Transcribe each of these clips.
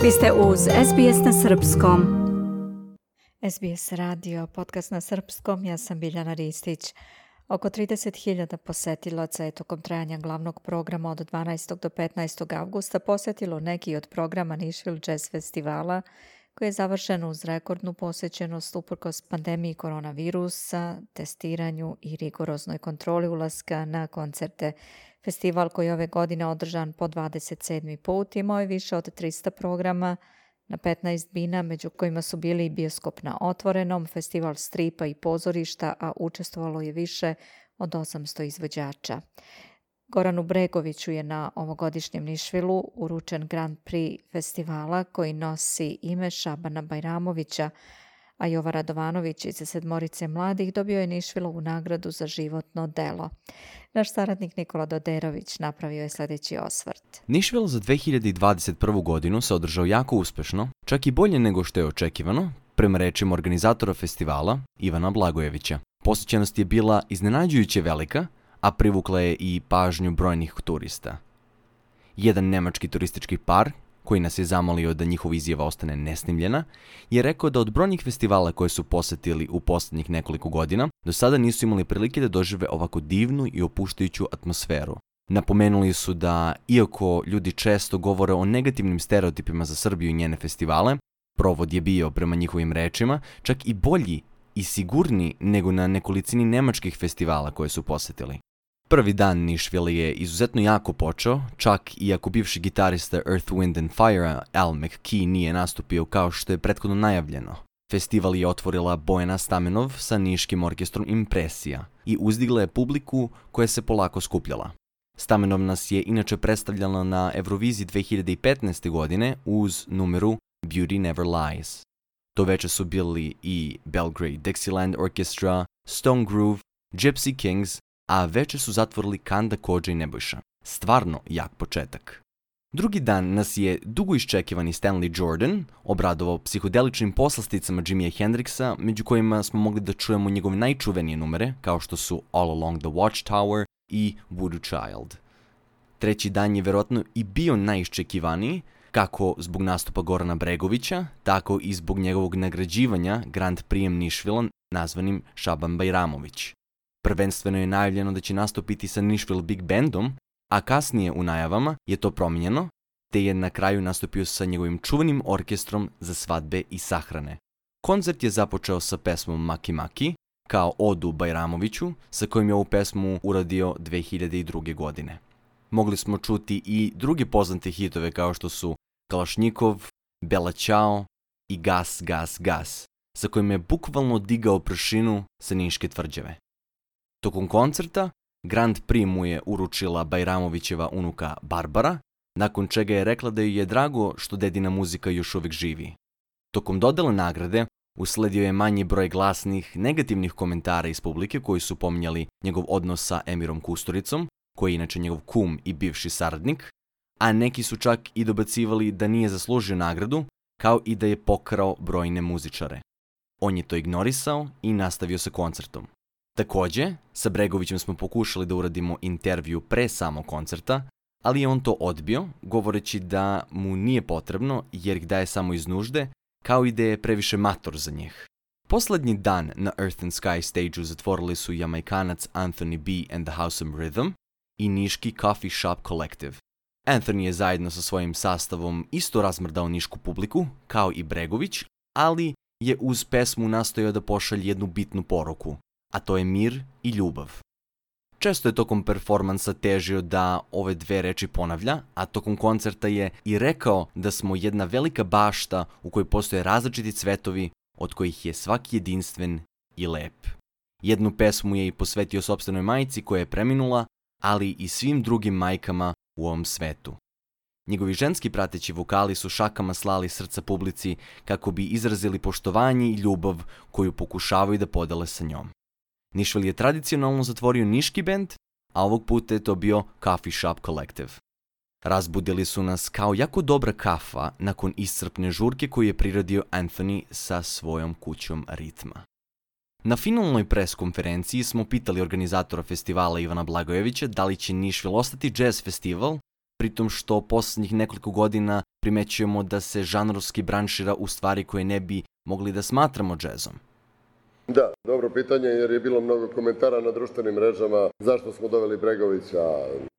Vi ste uz SBS na Srpskom. SBS radio, podcast na Srpskom, ja sam Biljana Ristić. Oko 30.000 posetilaca je tokom trajanja glavnog programa od 12. do 15. avgusta posjetilo neki od programa Nashville Jazz Festivala, koji je završen uz rekordnu posjećenost uprkos pandemiji koronavirusa, testiranju i rigoroznoj kontroli ulaska na koncerte. Festival koji je ove godine održan po 27. put imao je više od 300 programa na 15 bina, među kojima su bili i bioskop na otvorenom, festival stripa i pozorišta, a učestvovalo je više od 800 izvođača. Goranu Bregoviću je na ovogodišnjem Nashvilleu uručen Grand Prix festivala koji nosi ime Šabana Bajramovića, a Jova Radovanović iz sedmorice mladih dobio je Nashvillovu nagradu za životno delo. Naš saradnik Nikola Doderović napravio je sljedeći osvrt. Nashville za 2021. godinu se održao jako uspešno, čak i bolje nego što je očekivano, prema rečima organizatora festivala Ivana Blagojevića. Posjećenost je bila iznenađujuće velika, a privukla je i pažnju brojnih turista. Jedan nemački turistički par, koji nas je zamolio da njihova izjava ostane nesnimljena, je rekao da od brojnih festivala koje su posjetili u posljednjih nekoliko godina, do sada nisu imali prilike da dožive ovako divnu i opuštajuću atmosferu. Napomenuli su da, iako ljudi često govore o negativnim stereotipima za Srbiju i njene festivale, provod je bio, prema njihovim rečima, čak i bolji i sigurniji nego na nekolicini nemačkih festivala koje su posjetili. Prvi dan Nashville je izuzetno jako počeo, čak i ako bivši gitarista Earth, Wind and Fire Al McKee nije nastupio kao što je prethodno najavljeno. Festival je otvorila Bojana Stamenov sa niškim orkestrom Impresija i uzdigla je publiku koja se polako skupljala. Stamenov nas je inače predstavljala na Euroviziji 2015. godine uz numeru Beauty Never Lies. To veče su bili i Belgrade Dixieland Orchestra, Stone Groove, Gypsy Kings, a veče su zatvorili Kanda Kodža i Nebojša. Stvarno jak početak. Drugi dan nas je dugo iščekivani Stanley Jordan obradovao psihodeličnim poslasticama Jimmyja Hendrixa, među kojima smo mogli da čujemo njegove najčuvenije numere, kao što su All Along the Watchtower i Voodoo Child. Treći dan je verovatno i bio najiščekivaniji, kako zbog nastupa Gorana Bregovića, tako i zbog njegovog nagrađivanja Grand Prix Nashville nazvanim Šaban Bajramović. Prvenstveno je najavljeno da će nastupiti sa Nashville Big Bandom, a kasnije u najavama je to promijenjeno, te je na kraju nastupio sa njegovim čuvenim orkestrom za svadbe i sahrane. Koncert je započeo sa pesmom Maki Maki, kao odu Bajramoviću, sa kojim je ovu pesmu uradio 2002. godine. Mogli smo čuti i druge poznate hitove kao što su Kalašnjikov, Bela Ćao i Gas, gas, gas, sa kojim je bukvalno digao prašinu sa Niške tvrđave. Tokom koncerta, Grand Prix mu je uručila Bajramovićeva unuka Barbara, nakon čega je rekla da joj je drago što dedina muzika još uvijek živi. Tokom dodele nagrade, usledio je manji broj glasnih, negativnih komentara iz publike koji su pominjali njegov odnos sa Emirom Kusturicom, koji je inače njegov kum i bivši saradnik, a neki su čak i dobacivali da nije zaslužio nagradu, kao i da je pokrao brojne muzičare. On je to ignorisao i nastavio sa koncertom. Također, sa Bregovićem smo pokušali da uradimo intervju pre samog koncerta, ali je on to odbio, govoreći da mu nije potrebno jer ih daje samo iz nužde, kao i da je previše mator za njih. Poslednji dan na Earth and Sky stage-u zatvorili su Jamaikanac Anthony B. and the House of Rhythm i niški Coffee Shop Collective. Anthony je zajedno sa svojim sastavom isto razmrdao nišku publiku, kao i Bregović, ali je uz pesmu nastojao da pošalje jednu bitnu poruku, a to je mir i ljubav. Često je tokom performansa težio da ove dve reči ponavlja, a tokom koncerta je i rekao da smo jedna velika bašta u kojoj postoje različiti cvetovi, od kojih je svaki jedinstven i lep. Jednu pesmu je i posvetio sopstvenoj majci koja je preminula, ali i svim drugim majkama u ovom svetu. Njegovi ženski prateći vokali su šakama slali srca publici kako bi izrazili poštovanje i ljubav koju pokušavaju da podele sa njom. Nashville je tradicionalno zatvorio niški bend, a ovog puta je to bio Coffee Shop Collective. Razbudili su nas kao jako dobra kafa nakon iscrpne žurke koju je priredio Anthony sa svojom kućom ritma. Na finalnoj pres konferenciji smo pitali organizatora festivala Ivana Blagojevića da li će Nashville ostati jazz festival pritom što posljednjih nekoliko godina primećujemo da se žanrovski branšira u stvari koje ne bi mogli da smatramo džezom? Da, dobro pitanje jer je bilo mnogo komentara na društvenim mrežama zašto smo doveli Bregovića,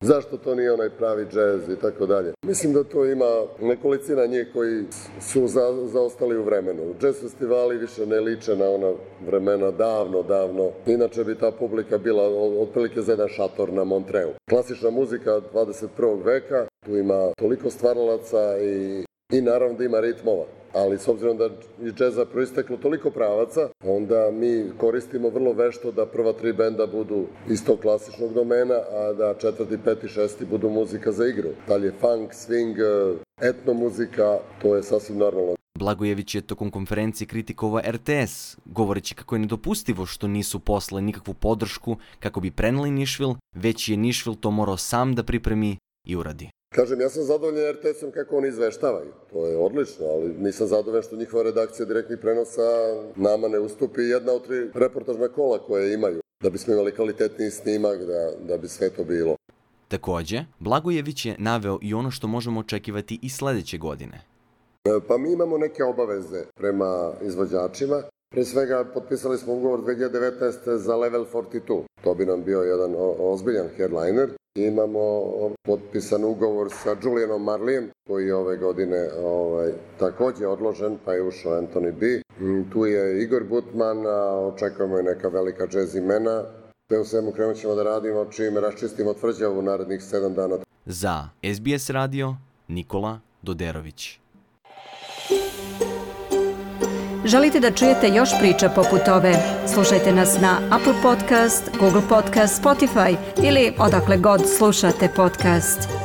zašto to nije onaj pravi džez i tako dalje. Mislim da to ima nekolicina njih koji su zaostali u vremenu. Džez festivali više ne liče na ona vremena davno. Inače bi ta publika bila otprilike za jedan šator na Montreu. Klasična muzika 21. veka, tu ima toliko stvaralaca i naravno da ima ritmova. Ali s obzirom da iz džeza proisteklo toliko pravaca, onda mi koristimo vrlo vešto da prva 3 benda budu iz tog klasičnog domena, a da 4., 5. i 6. budu muzika za igru. Dalje funk, swing, etno muzika, to je sasvim normalno. Blagojević je tokom konferencije kritikovao RTS, govoreći kako je nedopustivo što nisu poslali nikakvu podršku kako bi preneli Nišvil, već je Nišvil to morao sam da pripremi i uradi. Kažem, ja sam zadovoljan RTS-om kako oni izveštavaju. To je odlično, ali nisam zadovoljan što njihova redakcija direktnih prenosa nama ne ustupi jedna od 3 reportažna kola koje imaju, da bismo imali kvalitetniji snimak, da bi sve to bilo. Takođe, Blagojević je naveo i ono što možemo očekivati i sledeće godine. Pa mi imamo neke obaveze prema izvođačima. Pre svega, potpisali smo ugovor 2019. za Level 42. To bi nam bio jedan ozbiljan headliner. Imamo potpisan ugovor sa Julianom Marlijem, koji je ove godine takođe odložen, pa je ušao Anthony B. Tu je Igor Butman, očekujemo i neka velika džez imena. Sve u svemu krenut ćemo da radimo čim raščistimo tvrđavu narednih 7 dana. Za SBS radio, Nikola Doderović. Želite da čujete još priča poput ove? Slušajte nas na Apple Podcast, Google Podcast, Spotify ili odakle god slušate podcast.